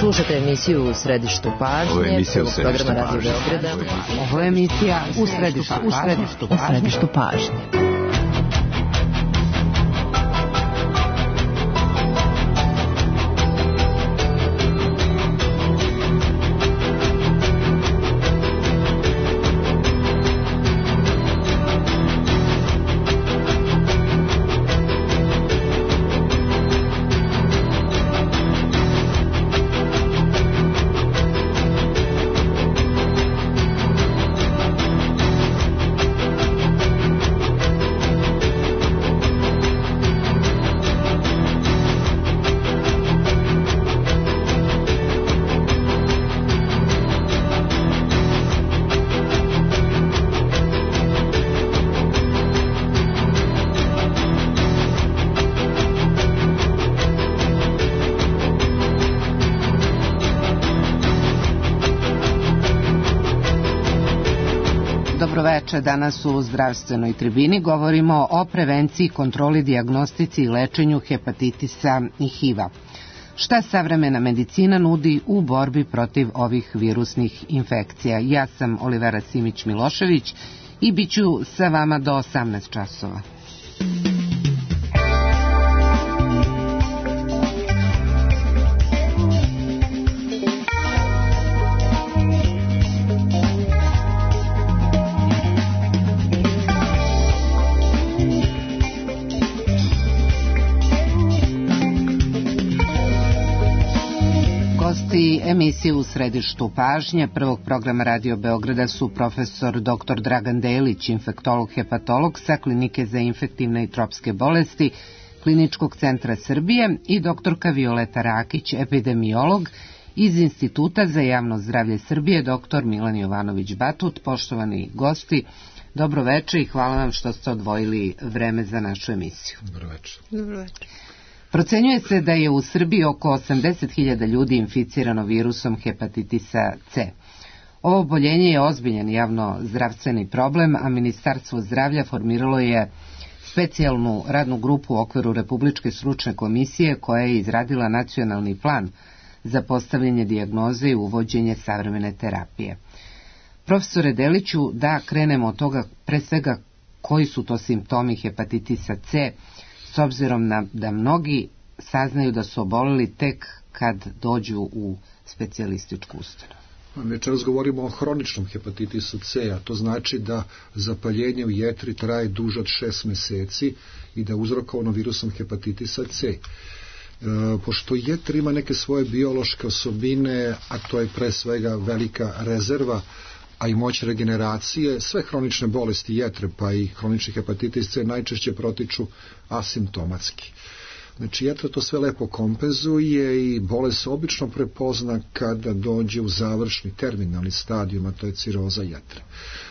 Slušate emisiju U središtu pažnje, programa Radio Beograda. Ovo je emisija U središtu pažnje. Dobroveče, danas u zdravstvenoj tribini govorimo o prevenciji, kontroli, dijagnostici i lečenju hepatitisa i HIV-a. Šta savremena medicina nudi u borbi protiv ovih virusnih infekcija? Ja sam Olivera Simić-Milošević i bit ću sa vama do 18 časova. Emisije U središtu pažnje prvog programa Radio Beograda su profesor dr. Dragan Delić, infektolog, hepatolog sa Klinike za infektivne i tropske bolesti Kliničkog centra Srbije i doktorka Violeta Rakić, epidemiolog iz Instituta za javno zdravlje Srbije, dr. Milan Jovanović Batut. Poštovani gosti, dobro večer i hvala vam što ste odvojili vreme za našu emisiju. Dobro večer. Dobro večer. Procenjuje se da je u Srbiji oko 80.000 ljudi inficirano virusom hepatitisa C. Ovo oboljenje je ozbiljan javno-zdravstveni problem, a Ministarstvo zdravlja formiralo je specijalnu radnu grupu u okviru Republičke stručne komisije koja je izradila nacionalni plan za postavljanje dijagnoze i uvođenje savremene terapije. Profesore Deliću, da krenemo od toga pre svega koji su to simptomi hepatitisa C, s obzirom da mnogi saznaju da su oboleli tek kad dođu u specijalističku ustanovu. Večeras govorimo o hroničnom hepatitisu C, a to znači da zapaljenje u jetri traje duže od 6 meseci i da je uzrokovano virusom hepatitisa C. Pošto jetra ima neke svoje biološke osobine, a to je pre svega velika rezerva, a i moć regeneracije, sve hronične bolesti jetre, pa i hronični hepatitis C najčešće protiču asimptomatski. Znači, jetra to sve lepo kompenzuje i bolest se obično prepozna kada dođe u završni terminalni stadijum, a to je ciroza jetre.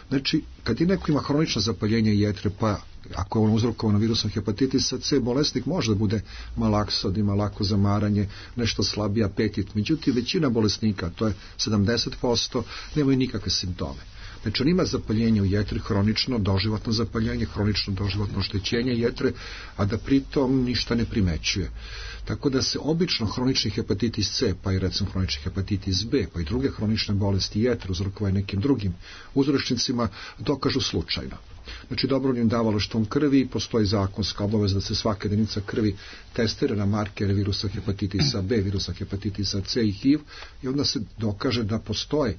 Znači, kad je neko ima hronično zapaljenje jetre, pa ako je ono uzrokovano virusom hepatitisa C, bolesnik može da bude malaksod, ima lako zamaranje, nešto slabiji apetit. Međutim, većina bolesnika, to je 70%, nemaju nikakve simptome. Znači, on ima zapaljenje u jetri, hronično doživotno zapaljenje, hronično doživotno oštećenje jetre, a da pritom ništa ne primećuje. Tako da se obično hronični hepatitis C, pa i recimo hronični hepatitis B, pa i druge hronične bolesti jetre uzrokovane nekim drugim uzročnicima dokažu slučajno. Znači, dobrovoljnim davalaštvom krvi postoji zakonska obaveza da se svaka jedinica krvi testira na markere virusa hepatitisa B, virusa hepatitisa C i HIV i onda se dokaže da postoje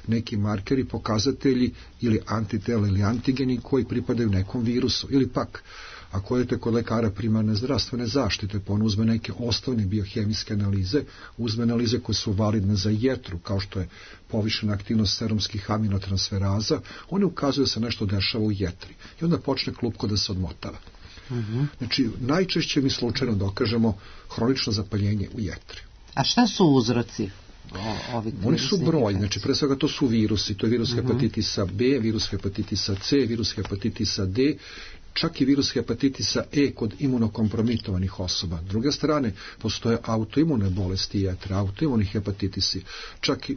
neki markeri, pokazatelji ili antitela ili antigeni koji pripadaju nekom virusu. Ili pak, ako idete kod lekara primarne zdravstvene zaštite, pa on uzme neke osnovne biohemijske analize, uzme analize koje su validne za jetru, kao što je povišena aktivnost serumskih aminotransferaza, oni ukazuju da se nešto dešava u jetri. I onda počne klupko da se odmotava. Znači, najčešće mi slučajno dokažemo hronično zapaljenje u jetri. A šta su uzroci? Oni su broj, znači pre svega to su virusi, to je virus hepatitisa B, virus hepatitisa C, virus hepatitisa D, čak i virus hepatitisa E kod imunokompromitovanih osoba. S druge strane, postoje autoimune bolesti jetre, autoimuni hepatitisi. Čak i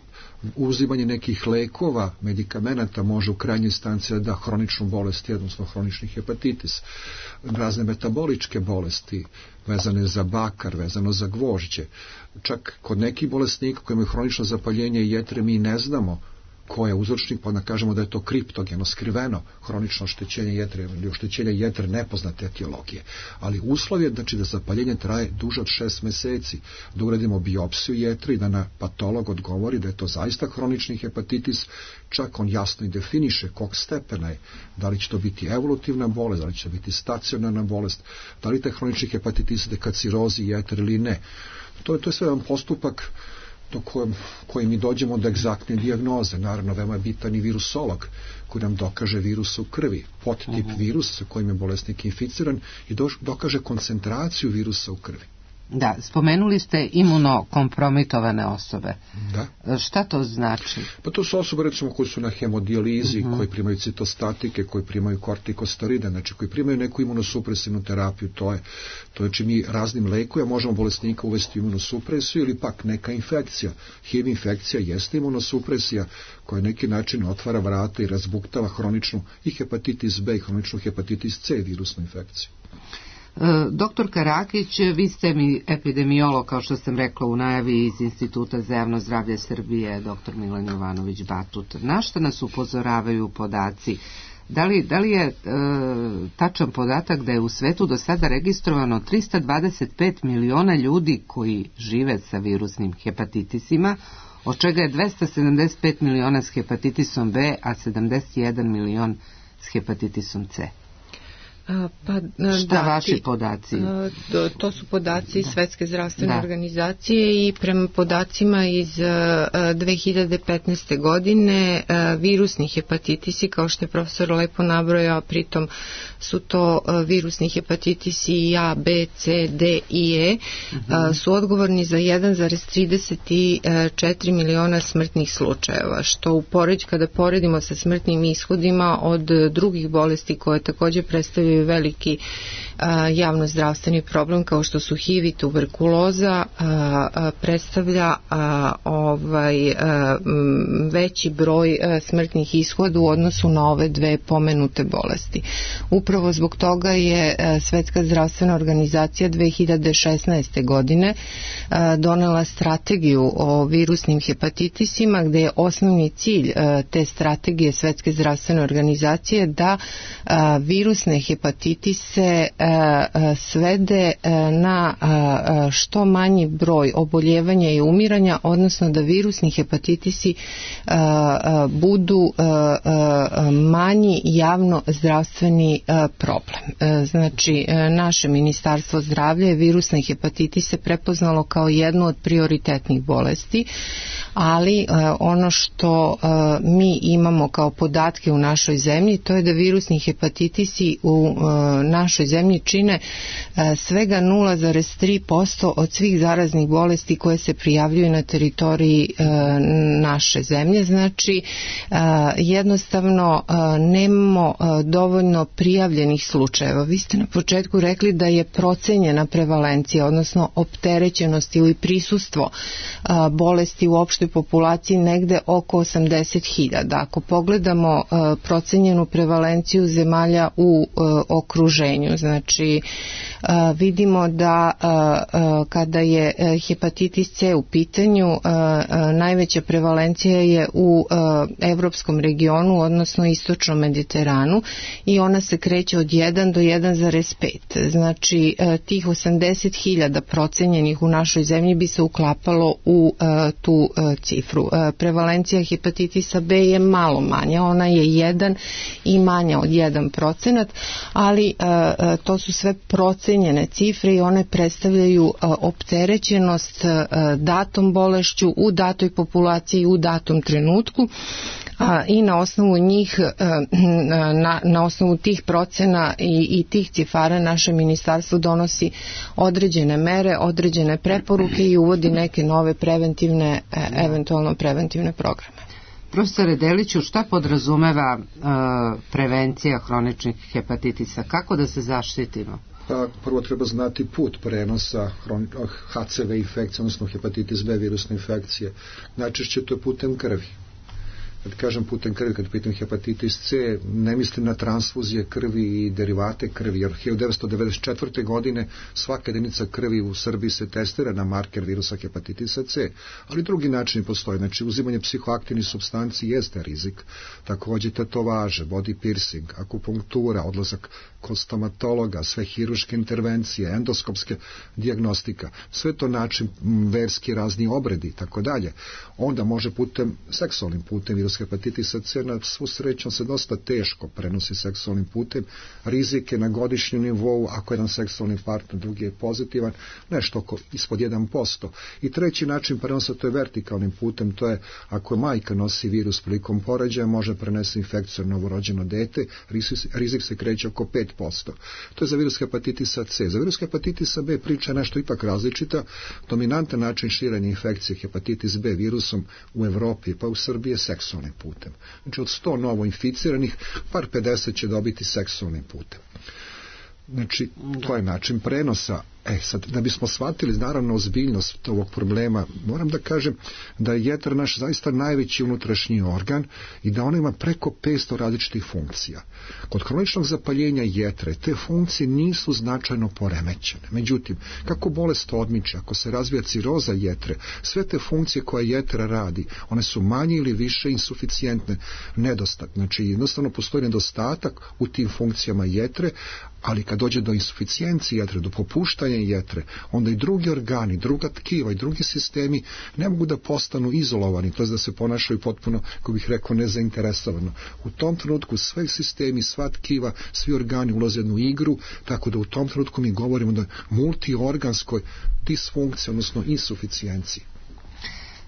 uzimanje nekih lekova, medikamenata može u krajnjoj instanci da hroničnu bolest, odnosno hronični hepatitis. Razne metaboličke bolesti vezane za bakar, vezano za gvožđe. Čak kod nekih bolesnika koji imaju hronično zapaljenje jetre mi ne znamo ko je uzročnik, pa da kažemo da je to kriptogeno, skriveno hronično oštećenje jetre ili oštećenje jetre nepoznate etiologije. Ali uslov je da zapaljenje traje duže od 6 meseci, da uradimo biopsiju jetre i da na patolog odgovori da je to zaista hronični hepatitis, čak on jasno i definiše kog stepena je, da li će to biti evolutivna bolest, da li će to biti stacionarna bolest, da li taj hronični hepatitis ide ka cirozi jetre ili ne. To je sve jedan postupak do koji mi dođemo do egzaktne dijagnoze. Naravno, veoma je bitan i virusolog koji nam dokaže virus u krvi, podtip virusa sa kojim je bolesnik inficiran i dokaže koncentraciju virusa u krvi. Da, spomenuli ste imunokompromitovane osobe. Da. Šta to znači? Pa to su osobe recimo koji su na hemodijalizi, koji primaju citostatike, koji primaju kortikosteride, znači koji primaju neku imunosupresivnu terapiju, to je znači mi raznim lekovima možemo bolesnika uvesti imunosupresiju ili pak neka infekcija. HIV infekcija jeste imunosupresija koja na neki način otvara vrata i razbuktava hroničnu i hepatitis B i hroničnu hepatitis C virusnu infekciju. Doktor Karakić, vi ste mi epidemiolog, kao što sam rekla u najavi, iz Instituta za javno zdravlje Srbije, dr. Milan Jovanović Batut. Na što nas upozoravaju podaci? Da li je tačan podatak da je u svetu do sada registrovano 325 miliona ljudi koji žive sa virusnim hepatitisima, od čega je 275 miliona s hepatitisom B, a 71 milion s hepatitisom C? Šta vaši podaci? To su podaci Svetske zdravstvene organizacije i prema podacima iz 2015. godine virusni hepatitisi, kao što je profesor lepo nabrojao, pritom su to virusni hepatitisi A, B, C, D i E, su odgovorni za 1,34 miliona smrtnih slučajeva, što kada poredimo sa smrtnim ishodima od drugih bolesti koje također predstavljaju veliki javnozdravstveni problem kao što su HIV i tuberkuloza, predstavlja veći broj smrtnih ishoda u odnosu na ove dve pomenute bolesti. Upravo zbog toga je Svetska zdravstvena organizacija 2016. godine donela strategiju o virusnim hepatitisima, gde je osnovni cilj te strategije Svetske zdravstvene organizacije da virusne hepatitise svede na što manji broj oboljevanja i umiranja, odnosno da virusni hepatitisi budu manji javno zdravstveni problem. Znači, naše Ministarstvo zdravlja je virusne hepatitise prepoznalo kao jednu od prioritetnih bolesti, ali ono što mi imamo kao podatke u našoj zemlji, to je da virusni hepatitisi u našoj zemlji čine svega 0,3% od svih zaraznih bolesti koje se prijavljuju na teritoriji naše zemlje. Znači, jednostavno nemamo dovoljno prijavljenih slučajeva. Vi ste na početku rekli da je procenjena prevalencija, odnosno opterećenost ili prisustvo bolesti u opštoj populaciji negde oko 80.000. Ako pogledamo procenjenu prevalenciju zemalja u okruženju, znači vidimo da kada je hepatitis C u pitanju, najveća prevalencija je u evropskom regionu, odnosno istočnom Mediteranu, i ona se kreće od 1 do 1,5. Znači, tih 80.000 procenjenih u našoj zemlji bi se uklapalo u tu cifru. Prevalencija hepatitisa B je malo manja, ona je 1 i manja od 1%, ali to su sve procenjene cifre i one predstavljaju opterećenost datom bolešću u datoj populaciji u datom trenutku. I na osnovu njih, na osnovu tih procena i tih cifara naše ministarstvo donosi određene mere, određene preporuke i uvodi neke nove preventivne, eventualno preventivne programe. Profesore Deliću, šta podrazumeva prevencija hroničnih hepatitisa? Kako da se zaštitimo? Pa, prvo treba znati put prenosa HCV infekcije, odnosno hepatitis B virusne infekcije. Najčešće to je putem krvi. Kad kažem putem krvi, kad pitam hepatitis C, ne mislim na transfuzije krvi i derivate krvi, jer 1994. godine svaka jedinica krvi u Srbiji se testira na marker virusa hepatitisa C, ali drugi načini postoje. Znači, uzimanje psihoaktivnih supstanci jeste rizik, takođe tetovaže, body piercing, akupunktura, odlazak kod stomatologa, sve hiruške intervencije, endoskopske dijagnostika, sve to način verski razni obredi, tako dalje. Onda može putem, seksualnim putem virus hepatitisa C, na svu sreću se dosta teško prenosi seksualnim putem, rizike na godišnjem nivou, ako jedan seksualni partner, drugi je pozitivan, nešto oko ispod 1%. I treći način prenosa, to je vertikalnim putem, to je ako majka nosi virus prilikom porođaja, može prenesti infekciju na novorođeno dete, rizik se kreće oko 5%. To je za virus hepatitisa C. Za virus hepatitisa B priča nešto ipak različita. Dominantan način širenja infekcije hepatitis B virusom u Evropi pa u Srbiji je seksualnim putem. Znači od 100 novo inficiranih, par 50 će dobiti seksualnim putem. Znači, to je način prenosa. Sad, da bismo shvatili naravno ozbiljnost ovog problema, moram da kažem da je jetra naš zaista najveći unutrašnji organ i da ona ima preko 500 različitih funkcija. Kod hroničnog zapaljenja jetre te funkcije nisu značajno poremećene. Međutim, kako bolest odmiče, ako se razvija ciroza jetre, sve te funkcije koje jetra radi, one su manje ili više insuficijentne, nedostatne. Znači, jednostavno postoji nedostatak u tim funkcijama jetre, ali kad dođe do insuficijencije jetre, do popuštanja jetre, onda i drugi organi, druga tkiva i drugi sistemi ne mogu da postanu izolovani, to je da se ponašaju potpuno, kako bih rekao, nezainteresovano. U tom trenutku sve sistemi, sva tkiva, svi organi ulaze u jednu igru, tako da u tom trenutku mi govorimo da multiorganskoj disfunkciji, odnosno insuficijenciji.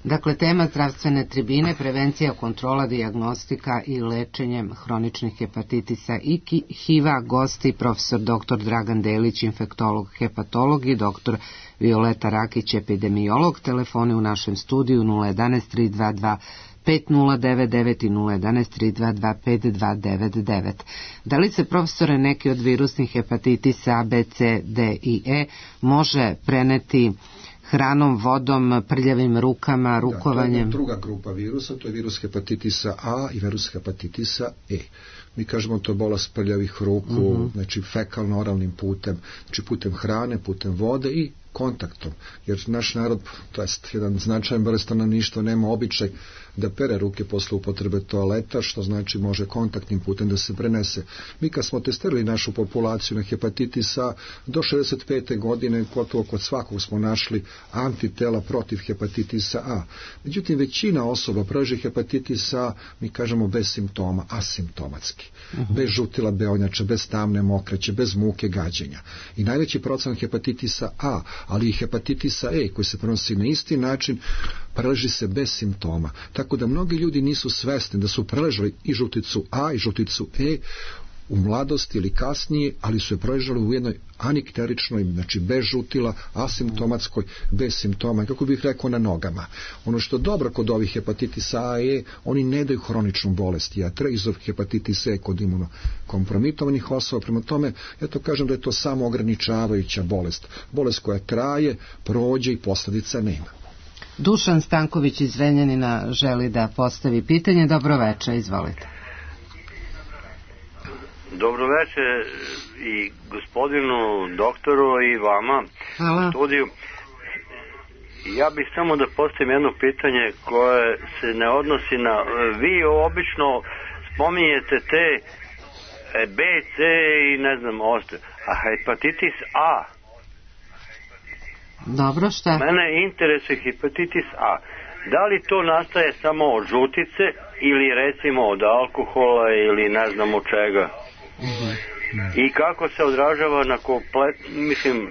Dakle, tema zdravstvene tribine, prevencija, kontrola, dijagnostika i lečenjem hroničnih hepatitisa i HIV-a, gosti profesor dr. Dragan Delić, infektolog, hepatolog i dr. Violeta Rakić, epidemiolog. Telefoni u našem studiju 011 322 5099 i 011 322 5299. Da li se, profesore, neki od virusnih hepatitisa A, B, C, D i E može preneti hranom, vodom, prljavim rukama, rukovanjem? To je druga grupa virusa, to je virus hepatitisa A i virus hepatitisa E. Mi kažemo to je bolest prljavih ruku, znači fekalno-oralnim putem, znači putem hrane, putem vode i kontaktom, jer naš narod, to jest jedan značajan broj stanovništva, nema običaj da pere ruke posle upotrebe toaleta, što znači može kontaktnim putem da se prenese. Mi kad smo testirali našu populaciju na hepatitisa, do 65. godine gotovo kod svakog smo našli antitela protiv hepatitisa A. Međutim, većina osoba preži hepatitisa, mi kažemo bez simptoma, asimptomatski. Bez žutila beonjača, bez tamne mokraće, bez muke, gađenja. I najveći procenat hepatitisa A, ali i hepatitisa E, koji se prenosi na isti način, preleži se bez simptoma. Tako da mnogi ljudi nisu svesni da su preležali i žuticu A i žuticu E u mladosti ili kasnije, ali su je preležali u jednoj anikteričnoj, znači bez žutila, asimptomatskoj, bez simptoma, kako bih rekao, na nogama. Ono što je dobro kod ovih hepatitisa A i E, oni ne daju hroničnu bolest jetre, iz ovih hepatitisa E kod imunokompromitovanih osoba. Prema tome, ja to kažem da je to samo ograničavajuća bolest. Bolest koja traje, prođe i posljedica nema. Dušan Stanković iz Zrenjanina želi da postavi pitanje. Dobro večer, izvolite. Dobro večer i gospodinu doktoru i vama u studiju. Ja bih samo da postavim jedno pitanje koje se ne odnosi na... Vi obično spominjete te B, C i ne znam ostale, a hepatitis A. Dobro, šta? Mene interesuje hepatitis A. Da li to nastaje samo od žutice ili recimo od alkohola ili ne znam od čega? I kako se odražava na komplet, mislim...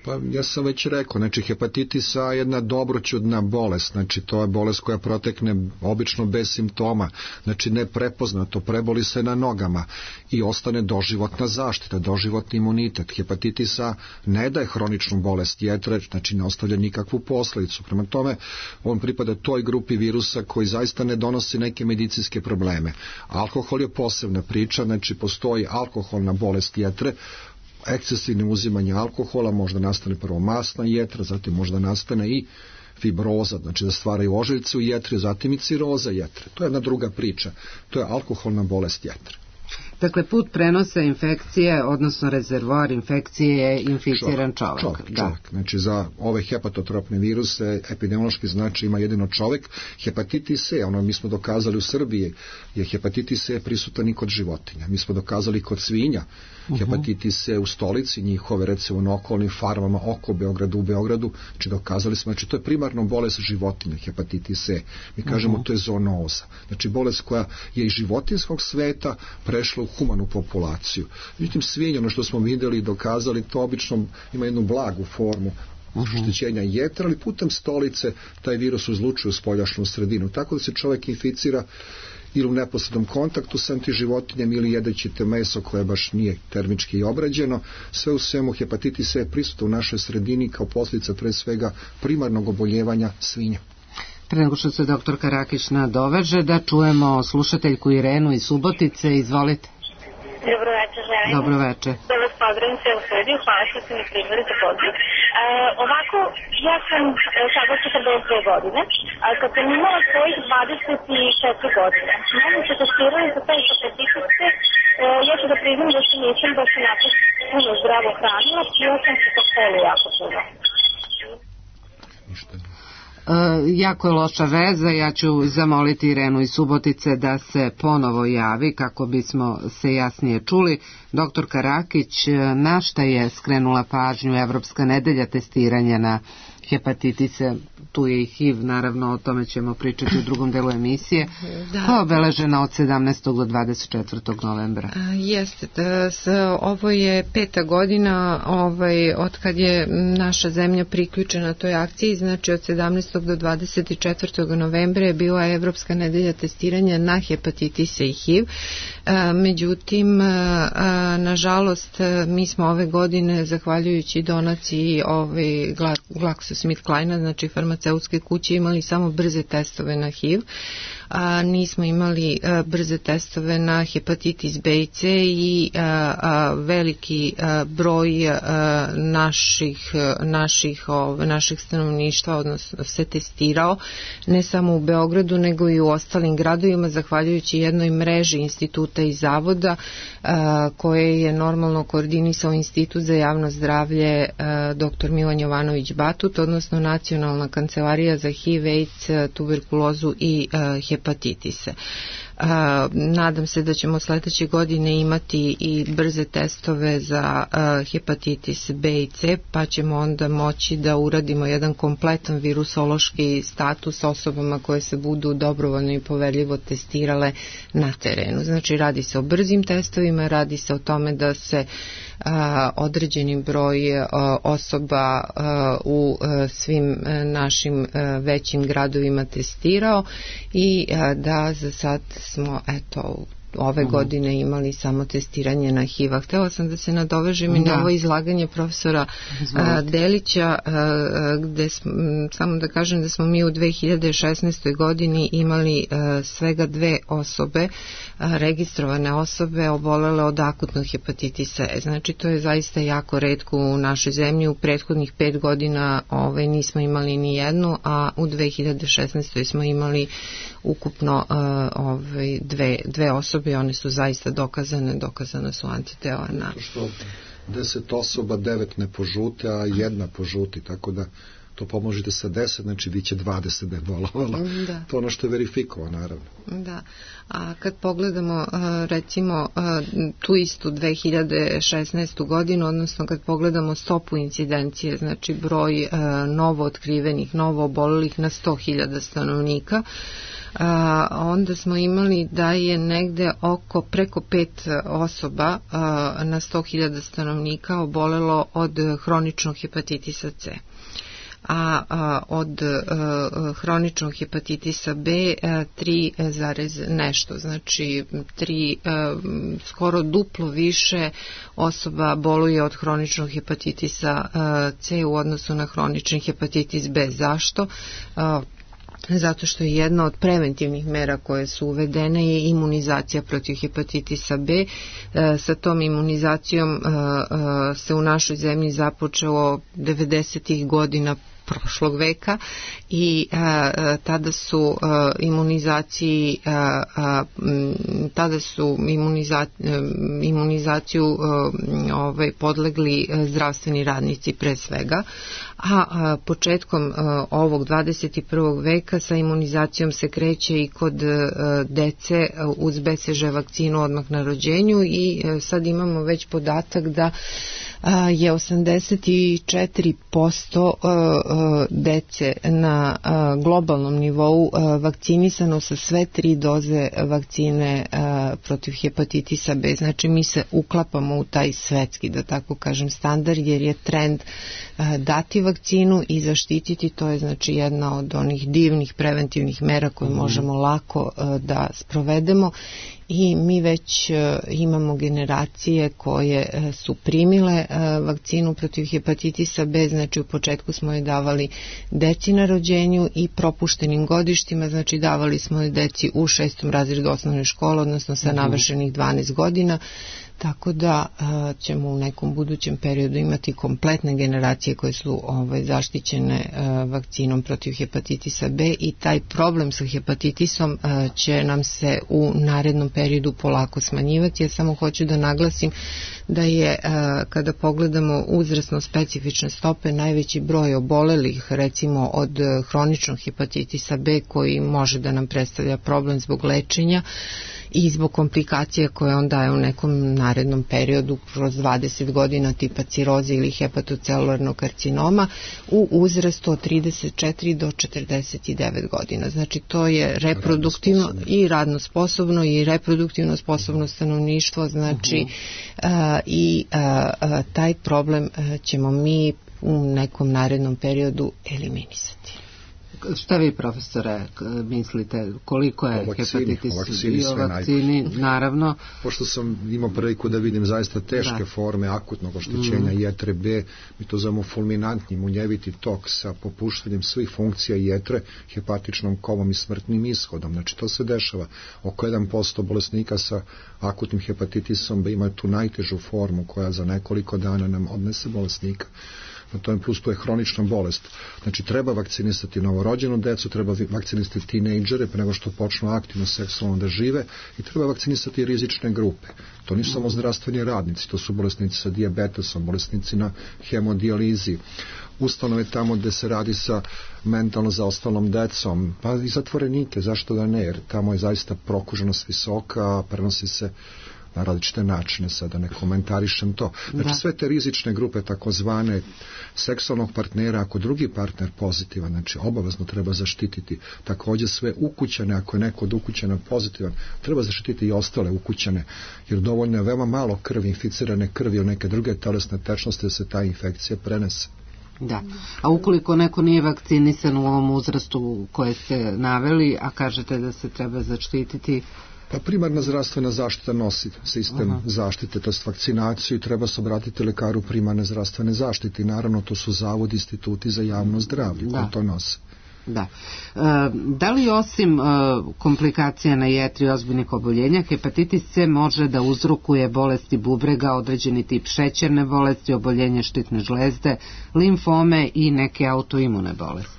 Pa ja sam već rekao, znači hepatitis A je jedna dobroćudna bolest, znači to je bolest koja protekne obično bez simptoma, znači neprepoznato, preboli se na nogama i ostane doživotna zaštita, doživotni imunitet. Hepatitis A ne daje hroničnu bolest jetre, znači ne ostavlja nikakvu posledicu. Prema tome, on pripada toj grupi virusa koji zaista ne donosi neke medicinske probleme. Alkohol je posebna priča, znači postoji alkoholna bolest jetre, ekscesivno uzimanje alkohola, možda nastane prvo masna jetra, zatim možda nastane i fibroza, znači da stvaraju ožiljce u jetri, zatim i ciroza jetre. To je jedna druga priča. To je alkoholna bolest jetre. Dakle, put prenosa infekcije, odnosno rezervoar infekcije je inficiran čovjek. Čovjek. Znači, za ove hepatotropne viruse epidemiološki znači ima jedino čovjek. Hepatitis C, mi smo dokazali u Srbiji, je hepatitis C prisutan i kod životinja. Mi smo dokazali kod svinja. Hepatitis C u Stolici, njihove recimo na okolnim farmama oko Beograda, u Beogradu, znači dokazali smo, znači to je primarno bolest životinja, hepatitis C. Mi kažemo to je zoonoza. Znači bolest koja je iz životinskog sveta prešla u humanu populaciju. Međutim, svinja, ono što smo vidjeli i dokazali, to obično ima jednu blagu formu oštećenja jetra, ali putem stolice taj virus uzlučuje u spoljašnju sredinu. Tako da se čovjek inficira ili u neposrednom kontaktu sa antiživotinjem ili jedeći te meso koje baš nije termički obrađeno. Sve u svemu hepatitis C je prisutan u našoj sredini kao posljedica pre svega primarnog oboljevanja svinja. Pre nego što se doktor Karakić nadoveže, da čujemo slušateljku Irenu iz Subotice. Izvolite. Dobro večer, želim. Dobro večer. Da vas pozdravim sve u studiju, hvala što ste mi prihvatili za poziv. Ovako, ja sam sada 42 godine, a kad sam imala svojih 24 godine, mene se testirali za taj hepatitis C, ja ću da priznam da se nisam baš onako puno zdravo hranila, pila sam se po kolu jako puno. Jako je loša veza, ja ću zamoliti Irenu iz Subotice da se ponovo javi kako bismo se jasnije čuli. Doktor Karakić, na šta je skrenula pažnju Evropska nedelja testiranja na hepatitise, tu je i HIV, naravno o tome ćemo pričati u drugom delu emisije, koja je obeležena od 17. do 24. novembra. Jeste, ovo je 5. godina od kad je naša zemlja priključena toj akciji, znači od 17. do 24. novembra je bila Evropska nedelja testiranja na hepatitise i HIV. Međutim, nažalost, mi smo ove godine, zahvaljujući donaciji GlaxoSmithKline, znači farmaceutske kuće, imali samo brze testove na HIV, a nismo imali brze testove na hepatitis B i C i veliki broj naših stanovništva odnosno se testirao ne samo u Beogradu nego i u ostalim gradovima zahvaljujući jednoj mreži instituta i zavoda koje je normalno koordinisao Institut za javno zdravlje dr. Milan Jovanović Batut, odnosno Nacionalna kancelarija za HIV, AIDS, tuberkulozu i hepatitise. Nadam se da ćemo sledeće godine imati i brze testove za hepatitis B i C, pa ćemo onda moći da uradimo jedan kompletan virusološki status osobama koje se budu dobrovoljno i poverljivo testirale na terenu. Znači radi se o brzim testovima, radi se o tome da se određeni broj osoba u svim našim većim gradovima testirao i da za sad smo ove godine imali samo testiranje na HIV-a. Htela sam da se nadovežem i na ovo izlaganje profesora Delića, gde samo da kažem da smo mi u 2016. godini imali svega 2 osobe, registrovane osobe obolele od akutnog hepatitisa E. Znači to je zaista jako retko u našoj zemlji. U prethodnih 5 godina nismo imali ni jednu, a u 2016. smo imali ukupno dve osobe i one su zaista dokazane su antitela na... Što 10 osoba, 9 ne požute, a 1 požuti, tako da to pomnožite sa 10, znači bit će 20 da je bolovala. To ono što je verifikovano, naravno. Da, a kad pogledamo recimo tu istu 2016. godinu, odnosno kad pogledamo stopu incidencije, znači broj novo otkrivenih, novo obolelih na 100.000 stanovnika, onda smo imali da je negde preko 5 osoba na 100.000 stanovnika obolelo od hroničnog hepatitisa C. A od hroničnog hepatitisa B 3, nešto, znači skoro duplo više osoba boluje od hroničnog hepatitisa C u odnosu na hronični hepatitis B. Zašto? Zato što je jedna od preventivnih mera koje su uvedene je imunizacija protiv hepatitisa B. Sa tom imunizacijom se u našoj zemlji započelo 90. godina prošlog veka i tada su imunizaciju podlegli zdravstveni radnici pre svega, a početkom ovog 21. veka sa imunizacijom se kreće i kod dece uz BCG vakcinu odmah na rođenju i sad imamo već podatak da je 84% dece na globalnom nivou vakcinisano sa sve 3 doze vakcine protiv hepatitisa B. Znači mi se uklapamo u taj svetski, da tako kažem, standard, jer je trend dati vakcinu i zaštititi. To je znači jedna od onih divnih preventivnih mera koje možemo lako da sprovedemo. I mi već imamo generacije koje su primile vakcinu protiv hepatitisa B, znači u početku smo je davali deci na rođenju i propuštenim godištima, znači davali smo je deci u 6. razredu osnovne škole, odnosno sa navršenih 12 godina, tako da ćemo u nekom budućem periodu imati kompletne generacije koje su zaštićene vakcinom protiv hepatitisa B i taj problem sa hepatitisom će nam se u narednom periodu polako smanjivati. Ja samo hoću da naglasim da je kada pogledamo uzrasno specifične stope najveći broj obolelih recimo od hroničnog hepatitisa B koji može da nam predstavlja problem zbog lečenja i zbog komplikacija koje on daje u nekom narednom periodu kroz 20 godina tipa ciroze ili hepatocelularnog karcinoma u uzrastu od 34 do 49 godina. Znači to je reproduktivno i radno sposobno i reproduktivno sposobno stanovništvo, znači i taj problem ćemo mi u nekom narednom periodu eliminisati. Šta vi, profesore, mislite, koliko je hepatitis i o vakcini, naravno? Pošto sam imao priliku da vidim zaista teške forme akutnog oštećenja jetre B, mi to zovemo fulminantni munjeviti tok sa popuštanjem svih funkcija jetre, hepatičnom komom i smrtnim ishodom. Znači to se dešava. Oko 1% bolesnika sa akutnim hepatitisom B ima tu najtežu formu koja za nekoliko dana nam odnese bolesnika. Na tome plus to je hronična bolest. Znači treba vakcinisati novorođenu decu, treba vakcinisati tinejdžere pre nego što počnu aktivno seksualno da žive i treba vakcinisati rizične grupe. To nisu samo zdravstveni radnici, to su bolesnici sa dijabetesom, bolesnici na hemodijalizi, ustanove tamo gde se radi sa mentalno zaostalom decom, pa i zatvorenike, zašto da ne, jer tamo je zaista prokuženost visoka, prenosi se na različite načine, sada ne komentarišem to. Znači sve te rizične grupe, takozvane seksualnog partnera, ako drugi partner pozitivan, znači obavezno treba zaštititi. Takođe sve ukućane, ako je neko od ukućana pozitivan, treba zaštititi i ostale ukućane, jer dovoljno je veoma malo krvi, inficirane krvi ili neke druge telesne tečnosti da se ta infekcija prenese. Da, a ukoliko neko nije vakcinisan u ovom uzrastu koje ste naveli, a kažete da se treba zaštititi? Pa primarna zdravstvena zaštita nosi sistem zaštite, to je vakcinaciju i treba se obratiti lekaru primarne zdravstvene zaštite i naravno to su zavodi, instituti za javno zdravlje koji to nose. Da. Da li osim komplikacija na jetri ozbiljnih oboljenja, hepatitis C može da uzrokuje bolesti bubrega, određeni tip šećerne bolesti, oboljenje štitne žlezde, limfome i neke autoimune bolesti?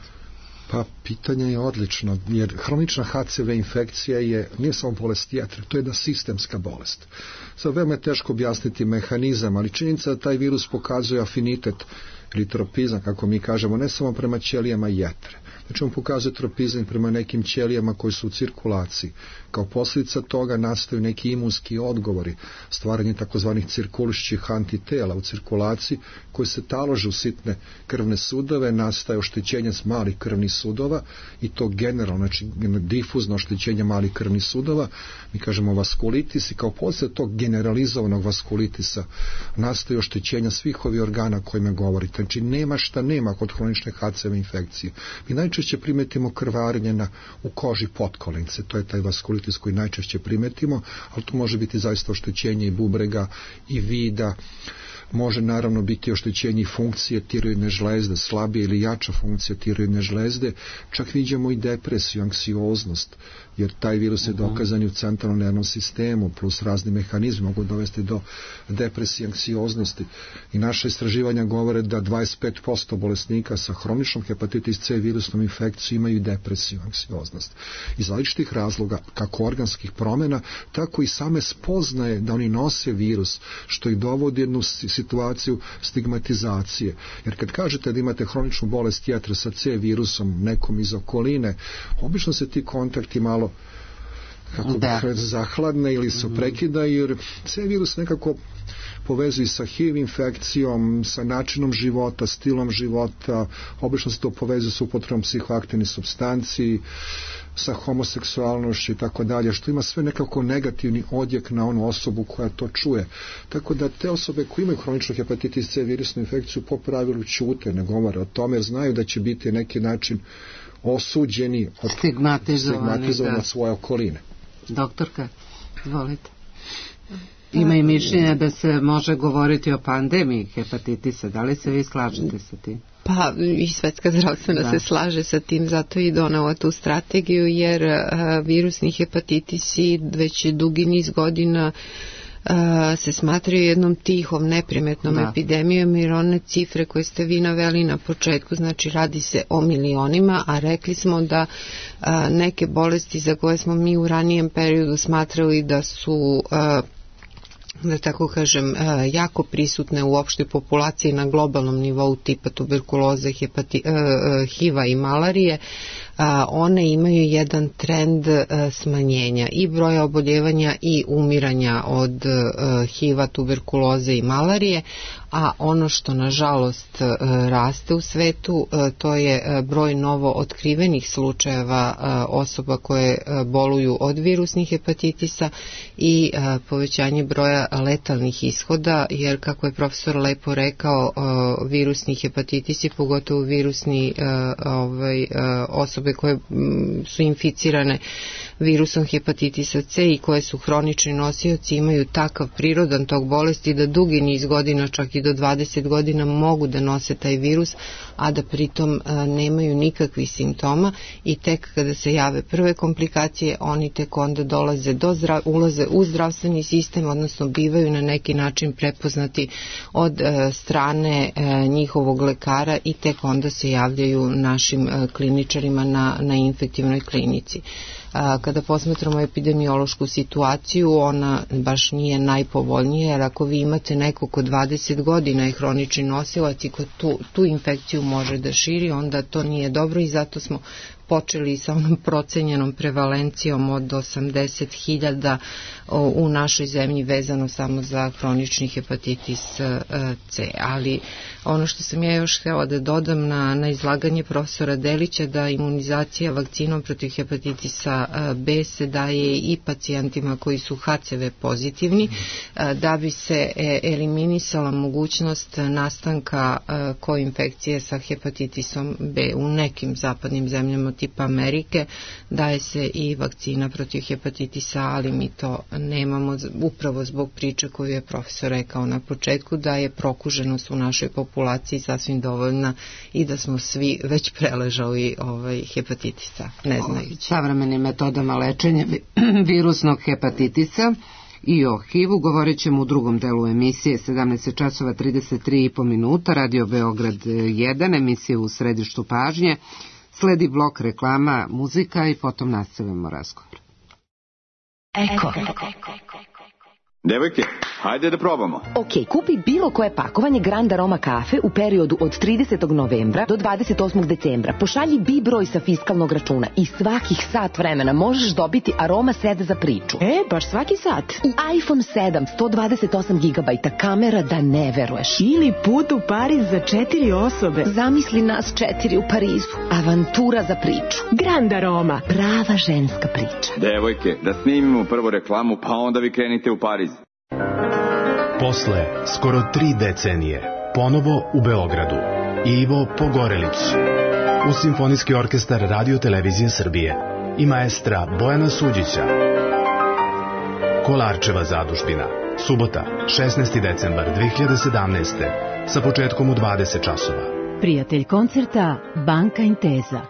Pa pitanje je odlično, jer hronična HCV infekcija nije samo bolest jetre, to je jedna sistemska bolest. Sad veoma je teško objasniti mehanizam, ali činjenica da taj virus pokazuje afinitet ili tropizam, kako mi kažemo, ne samo prema ćelijama jetre. Znači on pokazuje tropizam prema nekim ćelijama koji su u cirkulaciji. Kao posljedica toga nastaju neki imunski odgovori, stvaranje takozvanih cirkulišćih antitela u cirkulaciji koji se talože u sitne krvne sudove, nastaje oštećenje malih krvnih sudova i to generalno, znači difuzno oštećenje malih krvnih sudova, mi kažemo vaskulitis, i kao posljedica tog generalizovanog vaskulitisa nastaju oštećenja svih ovih organa kojima govorite. Znači nema šta nema kod hronične HCV infekcije. Mi najčešće primetimo krvarenje u koži potkolince, to je taj vaskulitis koji najčešće primetimo, ali to može biti zaista oštećenje i bubrega i vida, može naravno biti oštećenje funkcije tiroidne žlezde, slabije ili jača funkcija tiroidne žlezde, čak vidimo i depresiju, anksioznost, jer taj virus je dokazan i u centralnom nervnom sistemu, plus razni mehanizmi mogu dovesti do depresije, anksioznosti. I naše istraživanja govore da 25% bolesnika sa hroničnom hepatitis C virusnom infekcijom imaju depresiju, anksioznost. Iz različitih razloga, kako organskih promjena, tako i same spoznaje da oni nose virus, što ih dovodi jednu situaciju stigmatizacije. Jer kad kažete da imate hroničnu bolest jetre sa C virusom nekom iz okoline, obično se ti kontakti malo zahladne ili su prekidaju, jer C virus nekako povezuje sa HIV infekcijom, sa načinom života, stilom života, obično se to povezuje sa upotrebom psihoaktivnih supstanci, sa homoseksualnošću i tako dalje, što ima sve nekako negativni odjek na onu osobu koja to čuje. Tako da te osobe koje imaju hroničnu hepatitis C virusnu infekciju po pravilu ćute, ne govore o tome, jer znaju da će biti neki način osuđeni, stigmatizovani od svoje okoline. Doktorka, izvolite. Ima i mišljenja da se može govoriti o pandemiji hepatitisa. Da li se vi slažete sa tim? Pa i Svetska zdravstvena se slaže sa tim, zato i donela tu strategiju, jer virusni hepatitisi već dugi niz godina se smatraju jednom tihom, neprimetnom epidemijom, jer one cifre koje ste vi naveli na početku, znači radi se o milionima, a rekli smo da neke bolesti za koje smo mi u ranijem periodu smatrali da su da tako kažem, jako prisutne u opštoj populaciji na globalnom nivou, tipa tuberkuloze, HIV-a i malarije, one imaju jedan trend smanjenja i broja oboljevanja i umiranja od HIV-a, tuberkuloze i malarije, a ono što nažalost raste u svetu, to je broj novo otkrivenih slučajeva osoba koje boluju od virusnih hepatitisa i povećanje broja letalnih ishoda, jer kako je profesor lepo rekao, virusni hepatitisi, pogotovo virusni osobe koje su inficirane virusom hepatitisa C i koje su hronični nosioci, imaju takav prirodan tok bolesti da dugi niz godina, čak i do 20 godina, mogu da nose taj virus, a da pritom nemaju nikakvih simptoma, i tek kada se jave prve komplikacije, oni tek onda ulaze u zdravstveni sistem, odnosno bivaju na neki način prepoznati od strane njihovog lekara i tek onda se javljaju našim kliničarima na infektivnoj klinici. Kada posmatramo epidemiološku situaciju, ona baš nije najpovoljnija, jer ako vi imate nekog ko 20 godina je hronični nosilac i ko tu infekciju može da širi, onda to nije dobro, i zato smo počeli sa onom procenjenom prevalencijom od 80.000 u našoj zemlji vezano samo za hronični hepatitis C. Ali ono što sam ja još htjela da dodam na izlaganje profesora Delića, da imunizacija vakcinom protiv hepatitisa B se daje i pacijentima koji su HCV pozitivni, da bi se eliminisala mogućnost nastanka koinfekcije sa hepatitisom B. U nekim zapadnim zemljama tipa Amerike daje se i vakcina protiv hepatitisa, ali mi to nemamo upravo zbog priče koju je profesor rekao na početku, da je prokuženost u našoj populaciji sasvim dovoljna i da smo svi već preležali hepatitisa. Ne znaju. Savremenim metodama lečenja virusnog hepatitisa i o HIV-u govorit ćemo u drugom delu emisije 17 časova 33,5 minuta, Radio Beograd 1, emisija u središtu pažnje. Sledi blok reklama, muzika i potom nastavimo razgovor. Eko. Devojke, hajde da probamo. Ok, kupi bilo koje pakovanje Grand Aroma kafe u periodu od 30. novembra do 28. decembra. Pošalji B broj sa fiskalnog računa i svakih sat vremena možeš dobiti Aroma set za priču. Baš svaki sat. I iPhone 7, 128 GB, kamera da ne veruješ. Ili put u Pariz za 4 osobe. Zamisli nas 4 u Parizu. Avantura za priču. Grand Aroma. Prava ženska priča. Devojke, da snimimo prvo reklamu, pa onda vi krenite u Pariz. Posle skoro 3 decenije, ponovo u Beogradu, Ivo Pogorelić, uz Simfonijski orkestar Radio Televizije Srbije i maestra Bojana Suđića. Kolarčeva zadužbina, subota, 16. decembar 2017. sa početkom u 20 časova. Prijatelj koncerta Banka Intesa.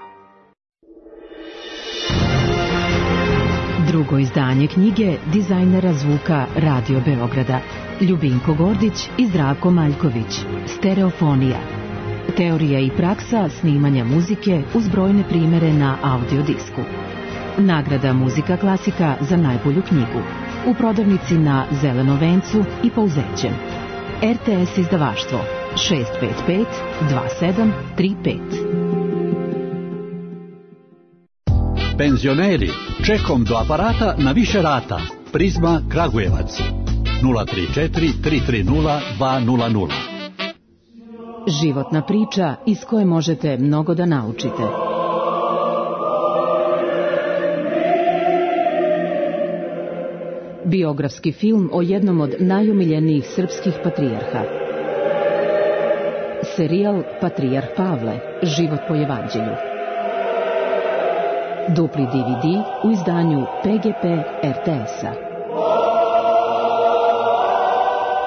Drugo izdanje knjige dizajnera zvuka Radio Beograda Ljubinko Gordić i Zdravko Maljković. Stereofonija. Teorija i praksa snimanja muzike uz brojne primere na audiodisku. Nagrada Muzika klasika za najbolju knjigu. U prodavnici na Zelenom vencu i Pouzećem. RTS izdavaštvo 655 2735. Penzioneri, čekom do aparata na više rata. Prizma Kragujevac 034 330 200. Životna priča iz koje možete mnogo da naučite. Biografski film o jednom od najomiljenijih srpskih patrijarha. Serijal Patrijarh Pavle, život po evanđelju. Dupli DVD u izdanju PGP RTS-a.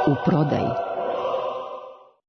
U prodaji.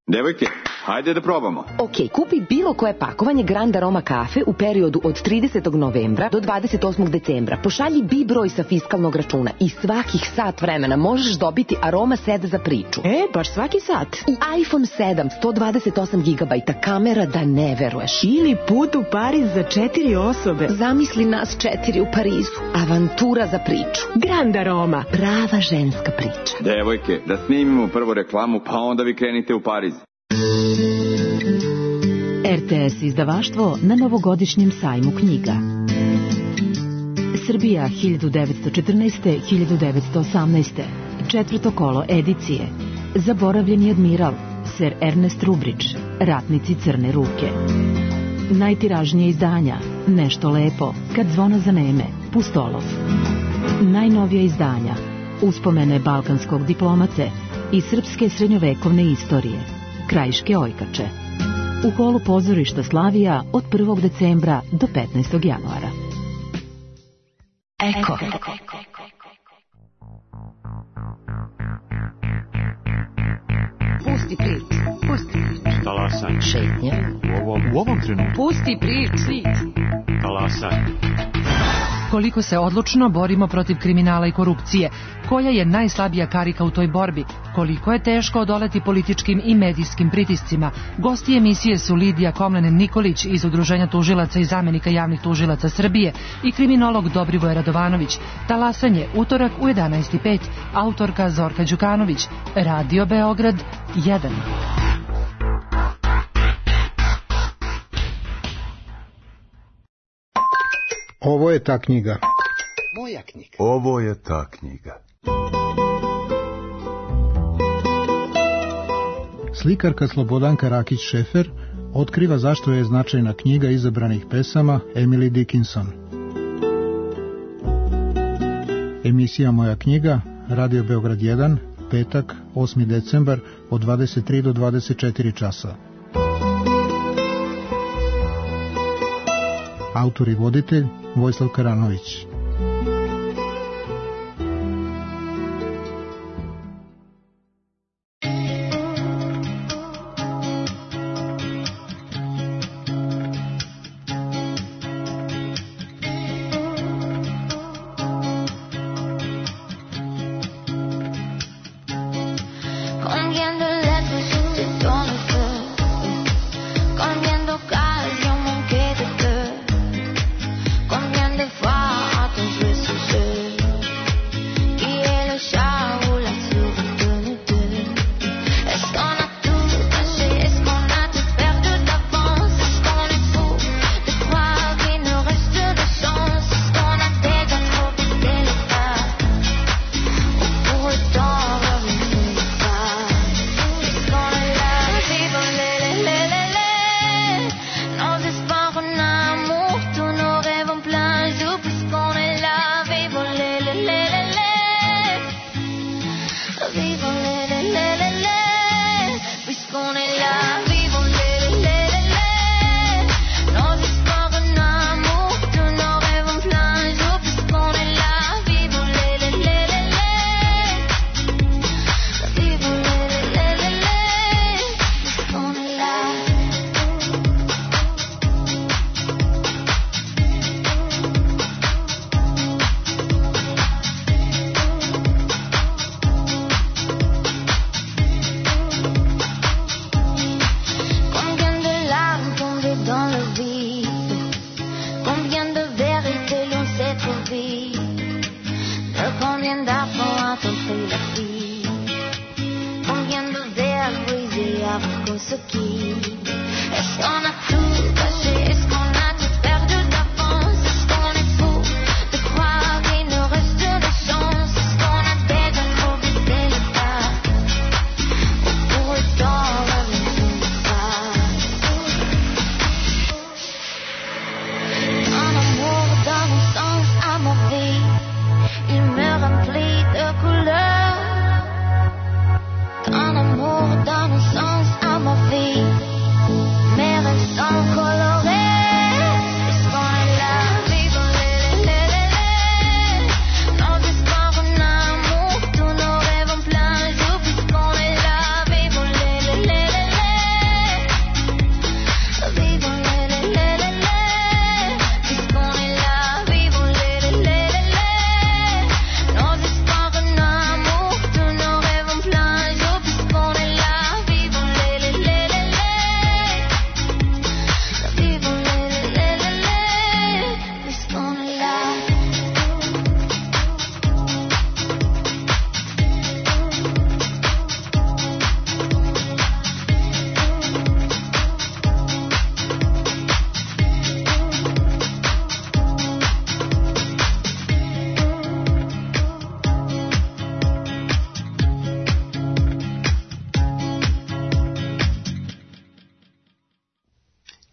Devojke, hajde da probamo. Ok, kupi bilo koje pakovanje Grand Aroma kafe u periodu od 30. novembra do 28. decembra. Pošalji B broj sa fiskalnog računa i svakih sat vremena možeš dobiti Aroma set za priču. Baš svaki sat. I iPhone 7, 128 GB, kamera da ne veruješ. Ili put u Pariz za 4 osobe. Zamisli nas 4 u Parizu. Avantura za priču. Grand Aroma. Prava ženska priča. Devojke, da snimimo prvo reklamu, pa onda vi krenite u Pariz. RTS izdavaštvo na novogodišnjem sajmu knjiga. Srbija 1914-1918. Četvrto kolo edicije. Zaboravljeni admiral, Sir Ernest Rubridge, Ratnici crne ruke. Najtiražnije izdanja, Nešto lepo, Kad zvona zaneme, Pustolov. Najnovija izdanja, Uspomene balkanskog diplomate i srpske srednjovekovne istorije, Krajiške ojkače. U holu pozorišta Slavija od 1. decembra do 15. januara. Eko. Pusti prič. Talasaj. Šetnja. U ovom trenutku. Pusti prič. Talasaj. Koliko se odlučno borimo protiv kriminala i korupcije, koja je najslabija karika u toj borbi, koliko je teško odoleti političkim i medijskim pritiscima. Gosti emisije su Lidija Komlenen-Nikolić iz Udruženja tužilaca i zamenika javnih tužilaca Srbije i kriminolog Dobrivoje Radovanović. Talasanje, utorak u 11:05, autorka Zorka Đukanović, Radio Beograd 1. Ovo je ta knjiga. Moja knjiga. Ovo je ta knjiga. Slikarka Slobodanka Rakić-Šefer otkriva zašto je značajna knjiga izabranih pesama Emily Dickinson. Emisija Moja knjiga, Radio Beograd 1, petak, 8. decembar, od 23 do 24 časa. Autor i voditelj Vojislav Karanović. Combien de fois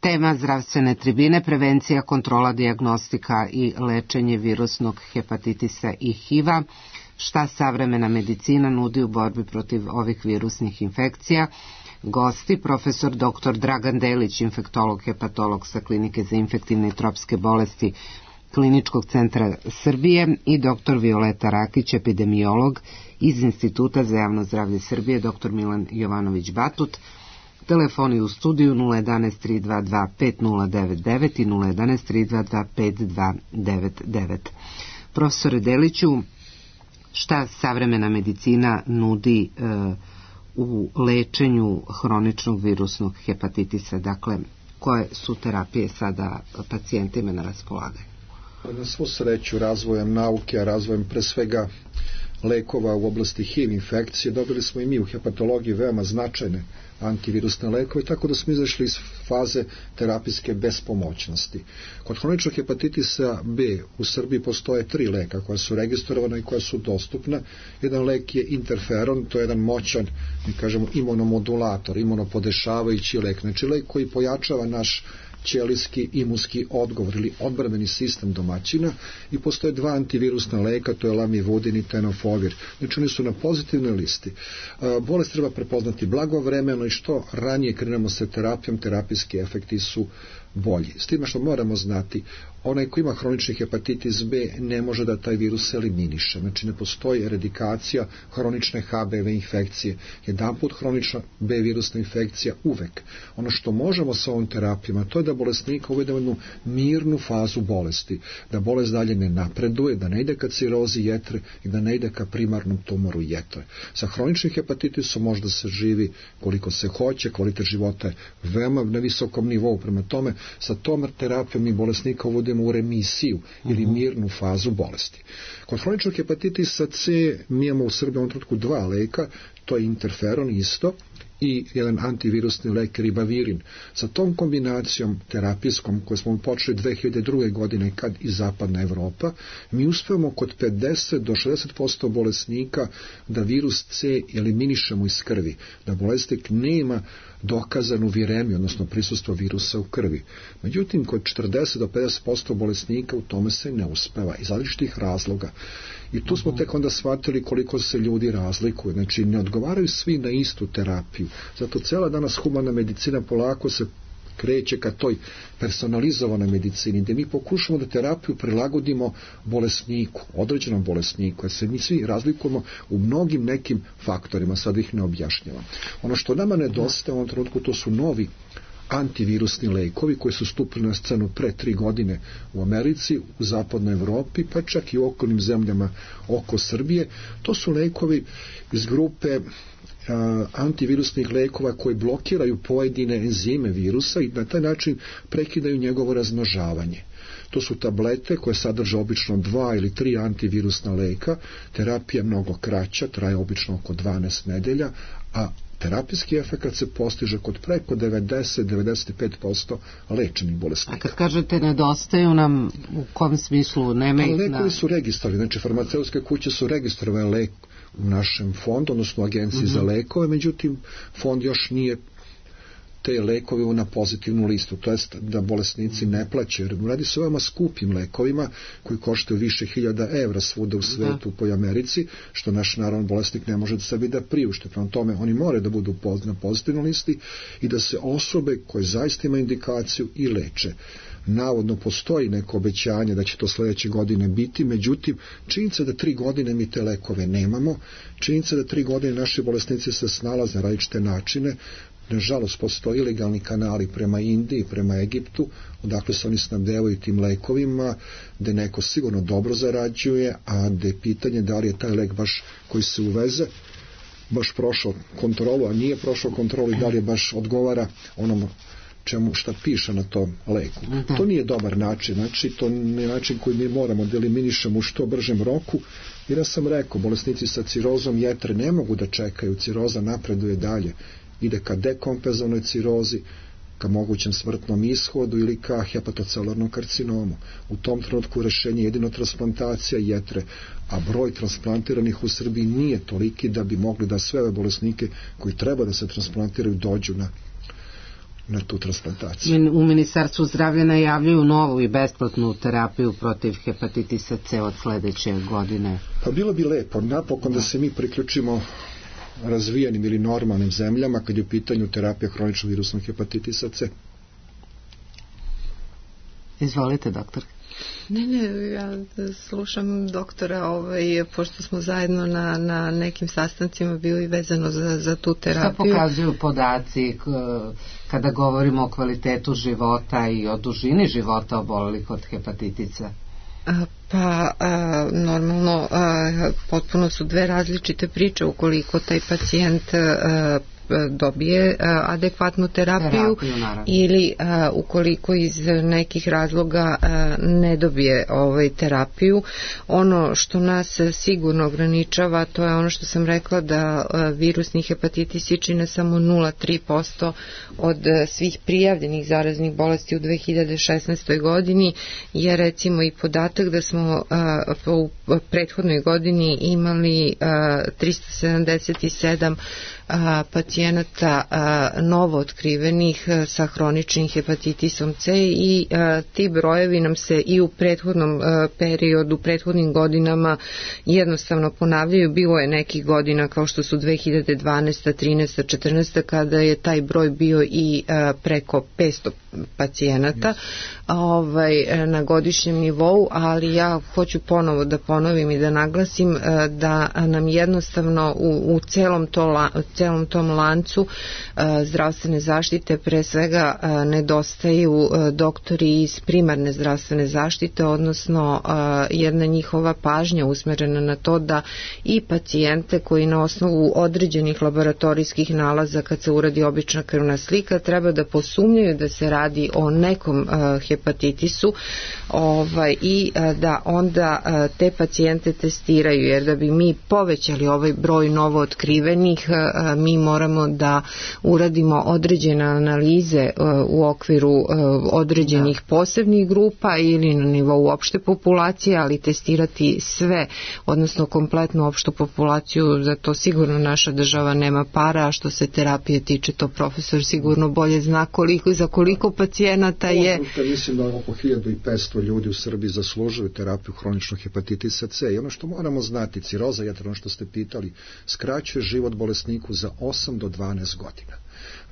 Tema zdravstvene tribine, prevencija, kontrola, dijagnostika i lečenje virusnog hepatitisa i HIV-a. Šta savremena medicina nudi u borbi protiv ovih virusnih infekcija? Gosti, profesor dr. Dragan Delić, infektolog, hepatolog sa Klinike za infektivne i tropske bolesti Kliničkog centra Srbije i dr. Violeta Rakić, epidemiolog iz Instituta za javno zdravlje Srbije, dr. Milan Jovanović-Batut. Telefoni u studiju 011 322 5099 i 011 322 5299. Profesore Deliću, šta savremena medicina nudi u lečenju hroničnog virusnog hepatitisa? Dakle, koje su terapije sada pacijentima na raspolaganju? Na svu sreću razvojem nauke, razvojem pre svega lekova u oblasti HIV infekcije, dobili smo i mi u hepatologiji veoma značajne antivirusne lekove, tako da smo izašli iz faze terapijske bespomoćnosti. Kod hroničnog hepatitisa B u Srbiji postoje 3 leka koja su registrovana i koja su dostupna. Jedan lek je interferon, to je jedan moćan, mi kažemo, imunomodulator, imunopodešavajući lek, znači lek koji pojačava naš ćelijski imunski odgovor ili odbrambeni sistem domaćina, i postoje 2 antivirusna leka, to je lamivudin i tenofovir. Znači oni su na pozitivnoj listi. Bolest treba prepoznati blagovremeno i što ranije krenemo sa terapijom, terapijski efekti su bolji. S time što moramo znati, onaj ko ima hronični hepatitis B ne može da taj virus eliminiše. Znači ne postoji eradikacija hronične HBV infekcije. Jedanput hronična B virusna infekcija uvek. Ono što možemo sa ovom terapijama, to je da bolesnika uvedemo jednu mirnu fazu bolesti. Da bolest dalje ne napreduje, da ne ide ka cirozi jetre i da ne ide ka primarnom tumoru jetre. Sa hroničnim hepatitisom može da se živi koliko se hoće, kvalitet života je veoma na visokom nivou. Prema tome, sa tom terapijom mi bolesnika uvodimo u remisiju ili mirnu fazu bolesti. Kod hroničnog hepatitisa C mi imamo u Srbiji u ovom trenutku 2 leka, to je interferon isto i jedan antivirusni lek ribavirin. Sa tom kombinacijom terapijskom koju smo počeli 2002. godine kad i zapadna Evropa, mi uspevamo kod 50 do 60% bolesnika da virus C eliminišemo iz krvi, da bolesnik nema dokazanu viremiju, odnosno prisustvo virusa u krvi. Međutim, kod 40 do 50% bolesnika u tome se ne uspeva iz različitih razloga. I tu smo tek onda shvatili koliko se ljudi razlikuju. Znači, ne odgovaraju svi na istu terapiju. Zato cela danas humana medicina polako se kreće ka toj personalizovanoj medicini, gdje mi pokušamo da terapiju prilagodimo bolesniku, određenom bolesniku, jer se mi svi razlikujemo u mnogim nekim faktorima, sad ih ne objašnjavam. Ono što nama nedostaje u ovom trenutku, to su novi antivirusni lekovi koji su stupili na scenu pre 3 godine u Americi, u zapadnoj Evropi, pa čak i u okolnim zemljama oko Srbije. To su lekovi iz grupe antivirusnih lekova koji blokiraju pojedine enzime virusa i na taj način prekidaju njegovo razmnožavanje. To su tablete koje sadrže obično 2 ili 3 antivirusna leka, terapija je mnogo kraća, traje obično oko 12 nedelja, a terapijski efekt se postiže kod preko 90-95% lečenih bolesnika. A kad kažete nedostaju nam, u kom smislu nema ih? Lekovi su registrovani, znači farmaceutske kuće su registrovane lek u našem fondu, odnosno agenciji za lekove, međutim fond još nije te lekove na pozitivnu listu, to jest da bolesnici ne plaćaju, jer radi se o veoma skupim lekovima koji koštaju više €1000 svuda u svetu, po Americi, što naš naravno bolesnik ne može sebi da priušte. Prema tome, oni moraju da budu na pozitivnoj listi i da se osobe koje zaista imaju indikaciju i leče. Navodno postoji neko obećanje da će to sledeće godine biti, međutim, činjenica da 3 godine mi te lekove nemamo, činjenica da 3 godine naši bolesnici se snalaze na različite načine. Nažalost, postoji ilegalni kanali prema Indiji, prema Egiptu, odakle se oni snabdevaju tim lekovima, gde neko sigurno dobro zarađuje, a gde je pitanje da li je taj lek baš koji se uveze baš prošao kontrolu, a nije prošao kontrolu i da li je baš odgovara onom šta piše na tom leku. To nije dobar način, znači to nije način koji mi moramo da eliminišemo u što bržem roku, jer ja sam rekao, bolesnici sa cirozom jetre ne mogu da čekaju, ciroza napreduje dalje, ide ka dekompenzovanoj cirozi, ka mogućem smrtnom ishodu ili ka hepatocelularnom karcinomu. U tom trenutku rešenje je jedino transplantacija jetre, a broj transplantiranih u Srbiji nije toliki da bi mogli da sve ove bolesnike koji treba da se transplantiraju dođu na tu transplantaciju. U Ministarstvu zdravlja najavljuju novu i besplatnu terapiju protiv hepatitisa C od sledeće godine. Pa bilo bi lepo, napokon da se mi priključimo razvijenim ili normalnim zemljama kad je u pitanju terapija hroničnog virusnog hepatitisa C. Izvolite, doktor. Ne, ja slušam doktora, pošto smo zajedno na nekim sastancima bili vezano za tu terapiju. Šta pokazuju podaci kada govorimo o kvalitetu života i o dužini života obolelih od hepatitisa? Pa normalno potpuno su dve različite priče ukoliko taj pacijent dobije adekvatnu terapiju ili ukoliko iz nekih razloga ne dobije terapiju. Ono što nas sigurno ograničava, to je ono što sam rekla, da virusni hepatitisi čine samo 0,3% od svih prijavljenih zaraznih bolesti u 2016. godini, je recimo i podatak da smo u prethodnoj godini imali 377 pacijenata novo otkrivenih sa hroničnim hepatitisom C i ti brojevi nam se i u prethodnom periodu, prethodnim godinama jednostavno ponavljaju. Bilo je nekih godina kao što su 2012, 13, 14 kada je taj broj bio i preko 500 pacijenata na godišnjem nivou, ali ja hoću ponovo da ponovim i da naglasim da nam jednostavno u celom tom lancu zdravstvene zaštite pre svega nedostaju doktori iz primarne zdravstvene zaštite, odnosno jedna njihova pažnja usmerena na to da i pacijente koji na osnovu određenih laboratorijskih nalaza kad se uradi obična krvna slika treba da posumnjaju da se radi o nekom hepatitisu i da onda te pacijente testiraju, jer da bi mi povećali ovaj broj novo otkrivenih mi moramo moramo da uradimo određene analize u okviru određenih posebnih grupa ili na nivou opšte populacije, ali testirati sve, odnosno kompletnu opštu populaciju, za to sigurno naša država nema para, a što se terapije tiče, to profesor sigurno bolje zna za koliko pacijenata je. Mislim da oko 1500 ljudi u Srbiji zaslužuju terapiju hroničnog hepatitisa C i ono što moramo znati, ciroza jetre, ono što ste pitali, skraćuje život bolesniku za 8 do 12 godina.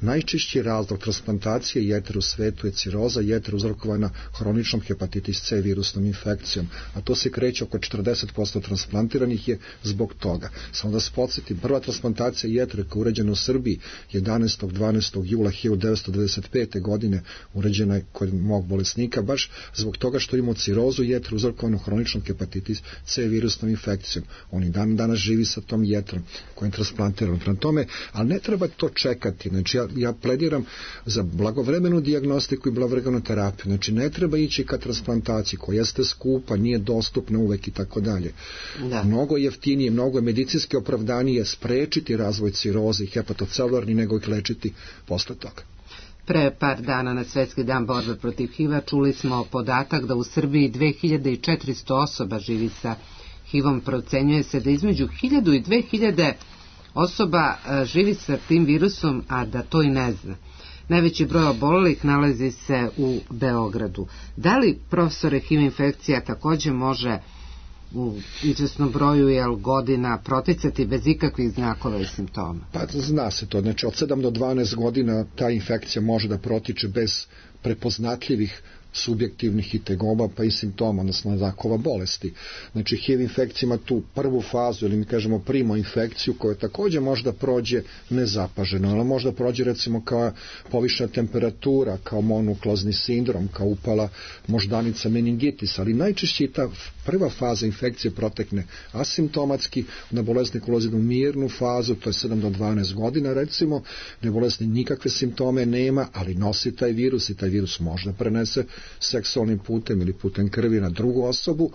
Najčešći razlog transplantacije jetre u svetu je ciroza jetre uzrokovana hroničnom hepatitis C virusnom infekcijom, a to se kreće oko 40% transplantiranih je zbog toga. Samo da se podsjetim, prva transplantacija jetre koja je urađena u Srbiji 11. jula 1995. godine urađena je kod mog bolesnika baš zbog toga što imao cirozu jetre uzrokovanu hroničnom hepatitis C virusnom infekcijom. On i danas živi sa tom jetrom koja je transplantirana. Prema tome, ali ne treba to čekati. Znači, ja plediram za blagovremenu dijagnostiku i blagovremenu terapiju. Znači, ne treba ići ka transplantaciji koja jeste skupa, nije dostupna uvek i tako dalje. Mnogo jeftinije, mnogo medicinski opravdanije sprečiti razvoj ciroze i hepatocelularni nego ih lečiti posle toga. Pre par dana na Svetski dan borbe protiv HIV-a čuli smo podatak da u Srbiji 2400 osoba živi sa HIV-om. Procenjuje se da između 1000 i 2000 osoba živi sa tim virusom, a da to i ne zna. Najveći broj obolelih nalazi se u Beogradu. Da li, profesore, HIV infekcija takođe može u izvesnom broju godina proticati bez ikakvih znakova i simptoma? Pa zna se to. Znači, od 7 do 12 godina ta infekcija može da protiče bez prepoznatljivih subjektivnih i tegoba pa i simptoma, odnosno znakova bolesti. Znači, HIV infekcija ima tu prvu fazu, ili mi kažemo primo infekciju, koja takođe možda prođe nezapaženo, ali možda prođe recimo kao povišena temperatura, kao monuklozni sindrom, kao upala moždanica meningitis, ali najčešće i ta prva faza infekcije protekne asimptomatski, da bolesnik ulazi u mirnu fazu, to je 7 do 12 godina recimo, da bolesnik nikakve simptome nema, ali nosi taj virus i taj virus možda prenese seksualnim putem ili putem krvi na drugu osobu,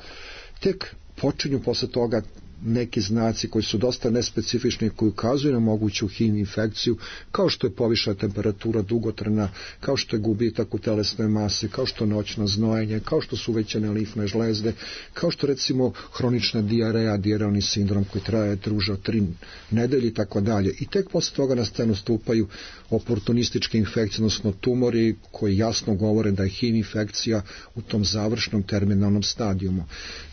tek počinju posle toga neki znaci koji su dosta nespecifični, koji ukazuju na moguću HIV infekciju, kao što je povišena temperatura dugotrajna, kao što je gubitak u telesnoj masi, kao što je noćno znojenje, kao što su uvećane limfne žlezde, kao što recimo hronična dijareja, dijarealni sindrom koji traje duže od 3 nedelje i tako dalje. I tek posle toga na scenu stupaju oportunističke infekcije, odnosno tumori koji jasno govore da je HIV infekcija u tom završnom terminalnom stadijumu.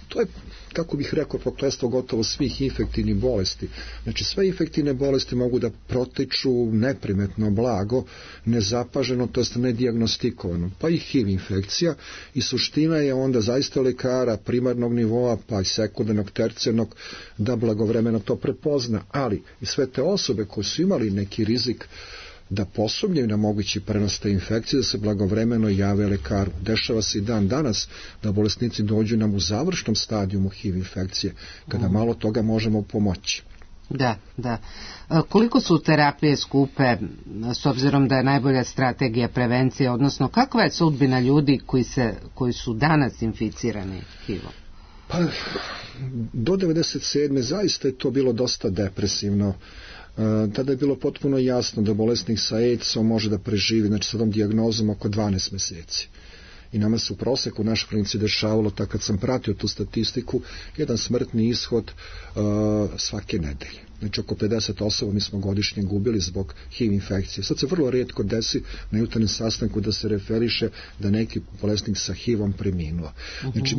To je, kako bih rekao, prokletstvo gotovo svih infektivnih bolesti. Znači, sve infektivne bolesti mogu da protiču neprimetno blago, nezapaženo, to jest nedijagnostikovano. Pa i HIV infekcija, i suština je onda zaista lekara primarnog nivoa, pa i sekundarnog, tercijarnog, da blagovremeno to prepozna. Ali i sve te osobe koje su imali neki rizik da posumnjaju na mogući prenos te infekcije, da se blagovremeno jave lekaru. Dešava se i dan danas da bolesnici dođu nam u završnom stadijumu HIV infekcije, kada malo toga možemo pomoći. Da. Koliko su terapije skupe, s obzirom da je najbolja strategija prevencije, odnosno kakva je sudbina ljudi koji su danas inficirani HIV-om? Pa, do 97. zaista je to bilo dosta depresivno. Tada je bilo potpuno jasno da bolesnik sa AIDS-om može da preživi, znači sa tom dijagnozom, oko 12 meseci. I nama se u proseku u našoj klinici dešavalo, tako kad sam pratio tu statistiku, jedan smrtni ishod svake nedelje. Znači, oko 50 osoba mi smo godišnje gubili zbog HIV infekcije. Sad se vrlo rijetko desi na jutarnjem sastanku da se referiše da neki bolesnik sa HIV-om preminuo. Znači,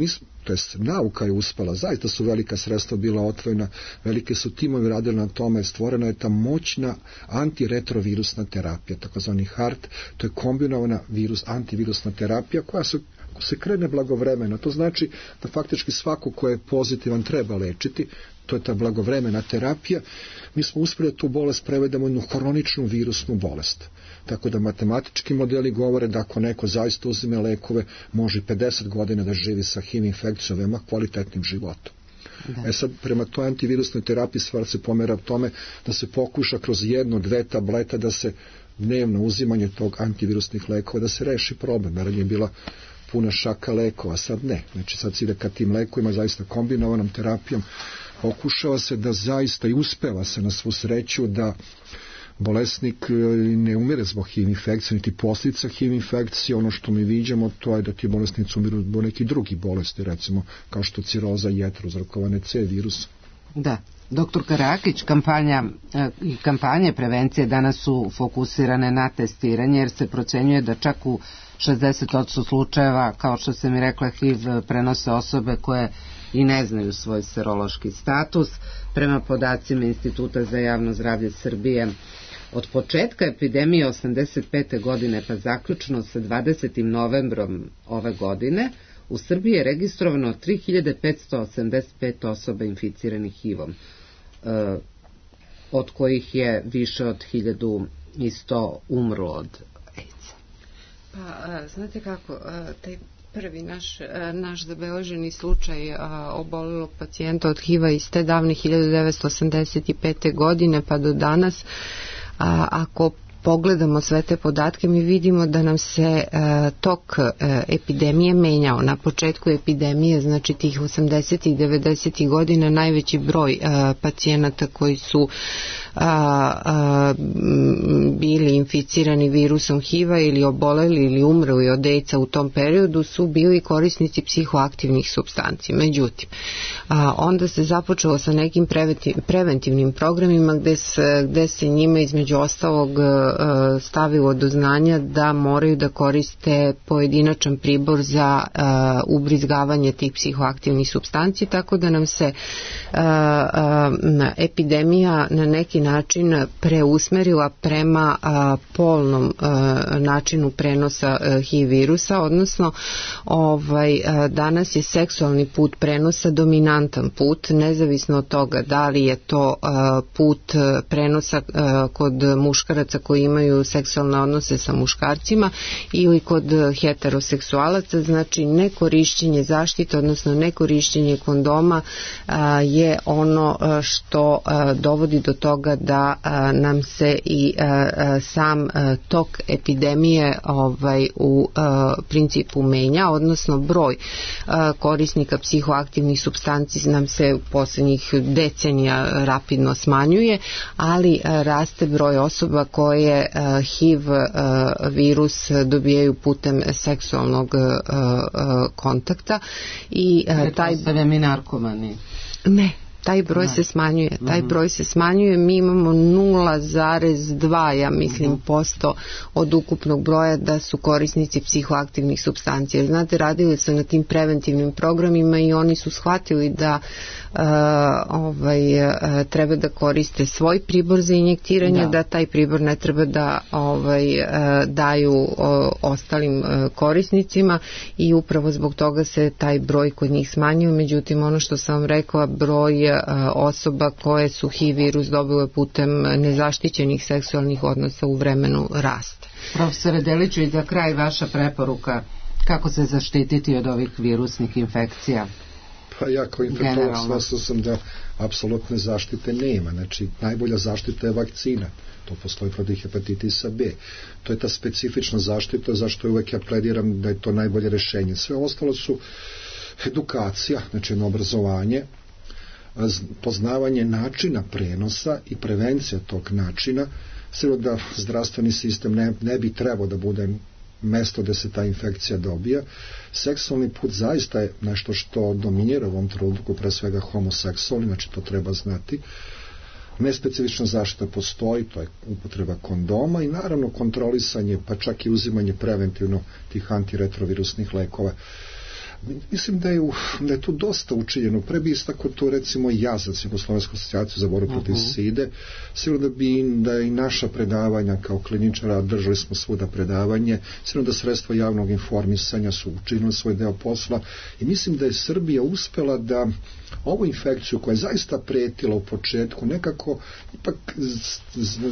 nauka je uspela, zaista su velika sredstva bila otvorena, velike su timovi radili na tome, stvorena je ta moćna antiretrovirusna terapija, takozvani HART, to je kombinovana antivirusna terapija koja se krene blagovremeno. To znači da faktički svako ko je pozitivan treba lečiti, to je ta blagovremena terapija. Mi smo uspjeli da tu bolest prevedemo jednu hroničnu virusnu bolest. Tako da matematički modeli govore da ako neko zaista uzime lekove, može 50 godina da živi sa HIV infekcijom, veoma kvalitetnim životom. Sad, prema toj antivirusnoj terapiji stvar se pomera u tome da se pokuša kroz 1-2 tableta da se dnevno uzimanje tog antivirusnih lekova, da se reši problem. Naravno je bila puna šaka lekova, sad ne. Znači sad se ide ka tim lekovima, zaista kombinovanom terapijom, pokušava se da zaista i uspeva se na svu sreću da bolesnik ne umire zbog HIV infekcije, niti posljedica HIV infekcije. Ono što mi viđamo, to je da ti bolesnici umiru zbog nekih drugih bolesti, recimo kao što ciroza jetre uzrokovane C virusa. Da. Doktor Karakić, kampanje prevencije danas su fokusirane na testiranje, jer se procenjuje da čak u 60% slučajeva, kao što se mi rekla, HIV prenose osobe koje i ne znaju svoj serološki status. Prema podacima Instituta za javno zdravlje Srbije, od početka epidemije 85. godine pa zaključno sa 20. novembrom ove godine, u Srbiji je registrovano 3585 osoba inficiranih HIV-om, od kojih je više od 1100 umrlo od AIDS-a. Pa, znate kako, taj prvi naš zabeleženi slučaj obolelog pacijenta od HIV-a iz te davne 1985. godine pa do danas, ako pogledamo sve te podatke, mi vidimo da nam se tok epidemije menjao. Na početku epidemije, znači tih 80. i 90. godina, najveći broj pacijenata koji su bili inficirani virusom HIV-a ili oboleli ili umrli od AIDS-a u tom periodu su bili korisnici psihoaktivnih supstanci. Međutim, onda se započelo sa nekim preventivnim programima gde se njima između ostalog stavilo do znanja da moraju da koriste pojedinačan pribor za ubrizgavanje tih psihoaktivnih supstanci, tako da nam se epidemija na neki način preusmerila prema polnom načinu prenosa HIV virusa, odnosno danas je seksualni put prenosa dominantan put, nezavisno od toga da li je to put prenosa kod muškaraca koji imaju seksualne odnose sa muškarcima ili kod heteroseksualaca. Znači nekorišćenje zaštite, odnosno nekorišćenje kondoma je ono što dovodi do toga da nam se i sam tok epidemije u principu menja, odnosno broj korisnika psihoaktivnih supstanci nam se u posljednjih decenija rapidno smanjuje, ali raste broj osoba koje HIV virus dobijaju putem seksualnog kontakta i taj mi narkomani. Ne, taj broj se smanjuje. Taj broj se smanjuje. Mi imamo 0,2 ja mislim posto od ukupnog broja da su korisnici psihoaktivnih supstancija. Znate, radili su na tim preventivnim programima i oni su shvatili da treba da koriste svoj pribor za injektiranje, da taj pribor ne treba da daju ostalim korisnicima i upravo zbog toga se taj broj kod njih smanjio. Međutim, ono što sam vam rekla, broj osoba koje su HIV virus dobile putem nezaštićenih seksualnih odnosa u vremenu raste. Profesore Deliću, i za kraj vaša preporuka kako se zaštititi od ovih virusnih infekcija? Pa ja kao infektolog shvatio sam da apsolutne zaštite nema. Znači, najbolja zaštita je vakcina. To postoji protiv hepatitisa B. To je ta specifična zaštita, zašto uvek ja plediram da je to najbolje rešenje. Sve ostalo su edukacija, znači obrazovanje, poznavanje načina prenosa i prevencija tog načina. Sve da zdravstveni sistem ne bi trebao da bude mesto gde se ta infekcija dobija. Seksualni put zaista je nešto što dominira u ovom trenutku, pre svega homoseksualni, znači to treba znati. Nespecifična zaštita postoji, to je upotreba kondoma i naravno kontrolisanje, pa čak i uzimanje preventivno tih antiretrovirusnih lekova. Mislim da je tu dosta učinjeno. Pre bi istako to recimo JAZAC, Jugoslovensku asocijaciju za borbu protiv side, sigurno da i naša predavanja kao kliničara, držali smo svuda predavanje, sigurno da sredstva javnog informisanja su učinili svoj deo posla i mislim da je Srbija uspela da ovu infekciju koja je zaista pretila u početku nekako ipak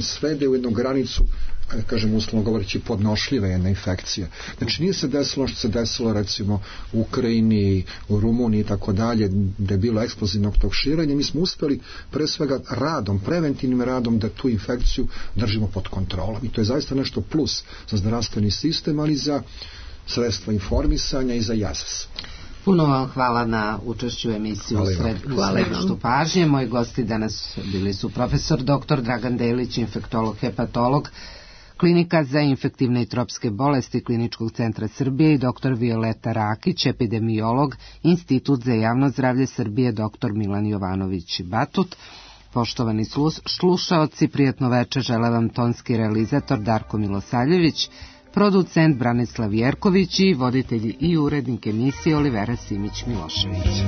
svede u jednu granicu, kažem uslovno govoreći, podnošljiva jedna infekcija. Znači nije se desilo što se desilo recimo u Ukrajini, u Rumuniji i tako dalje, gde je bilo eksplozivnog tog širenja. Mi smo uspeli pre svega radom, preventivnim radom da tu infekciju držimo pod kontrolom i to je zaista nešto plus za zdravstveni sistem, ali i za sredstva informisanja i za JAZAS. Puno vam hvala na učešću u emisiju Središtu pažnje. Moji gosti danas bili su profesor dr. Dragan Delić, infektolog, hepatolog, Klinika za infektivne i tropske bolesti Kliničkog centra Srbije i dr. Violeta Rakić, epidemiolog, Institut za javno zdravlje Srbije, dr. Milan Jovanović Batut. Poštovani slušaoci, prijatno večer žele vam tonski realizator Darko Milosavljević, producent Branislav Jerković i voditelj i urednik emisije Olivera Simić-Milošević.